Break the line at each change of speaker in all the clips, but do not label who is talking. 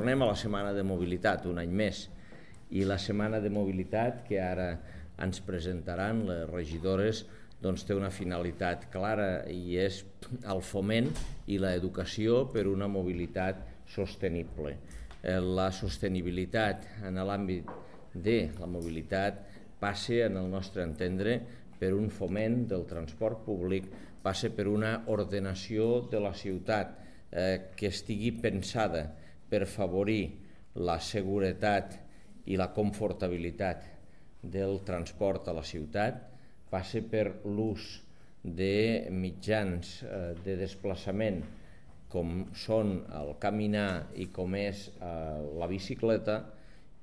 tornem a la Setmana de Mobilitat, un any més, i la Setmana de Mobilitat que ara ens presentaran les regidores té una finalitat clara i és el foment i l'educació per una mobilitat sostenible. La sostenibilitat en l'àmbit de la mobilitat passa, en el nostre entendre, per un foment del transport públic, passa per una ordenació de la ciutat que estigui pensada per favorir la seguretat i la confortabilitat del transport a la ciutat, passa per l'ús de mitjans de desplaçament com són el caminar i com és la bicicleta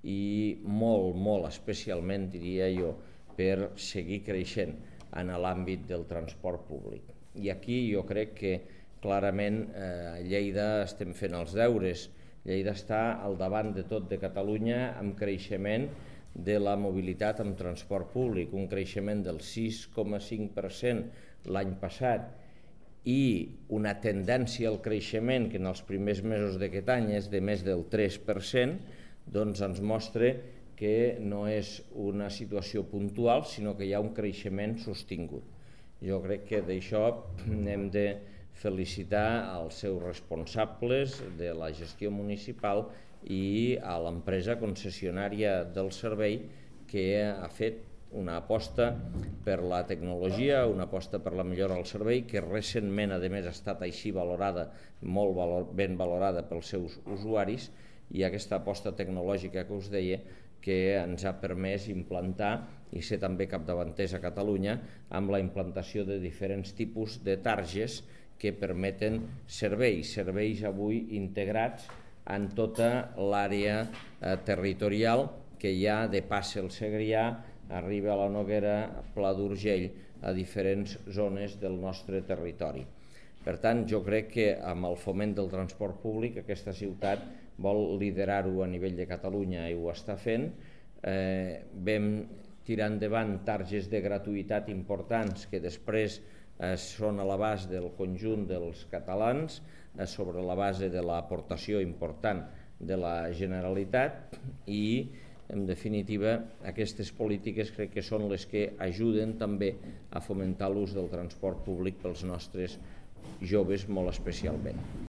i molt especialment, diria jo, per seguir creixent en l'àmbit del transport públic. I aquí jo crec que clarament a Lleida estem fent els deures. Lleida està al davant de tot de Catalunya amb creixement de la mobilitat amb transport públic, un creixement del 6,5% l'any passat i una tendència al creixement que en els primers mesos d'aquest any és de més del 3%, doncs ens mostra que no és una situació puntual, sinó que hi ha un creixement sostingut. Jo crec que d'això hem de felicitar als seus responsables de la gestió municipal i a l'empresa concessionària del servei que ha fet una aposta per la tecnologia, una aposta per la millora del servei, que recentment, a més, ha estat així valorada, molt ben valorada pels seus usuaris, i aquesta aposta tecnològica que us deia que ens ha permès implantar i ser també capdavanters a Catalunya amb la implantació de diferents tipus de targes que permeten serveis avui integrats en tota l'àrea territorial que hi ha de Passa el Segrià, arriba a la Noguera, Pla d'Urgell, a diferents zones del nostre territori. Per tant, jo crec que amb el foment del transport públic aquesta ciutat vol liderar-ho a nivell de Catalunya i ho està fent. Vam tirar endavant targes de gratuïtat importants que després són a l'abast del conjunt dels catalans sobre la base de l'aportació important de la Generalitat i, en definitiva, aquestes polítiques crec que són les que ajuden també a fomentar l'ús del transport públic pels nostres joves molt especialment.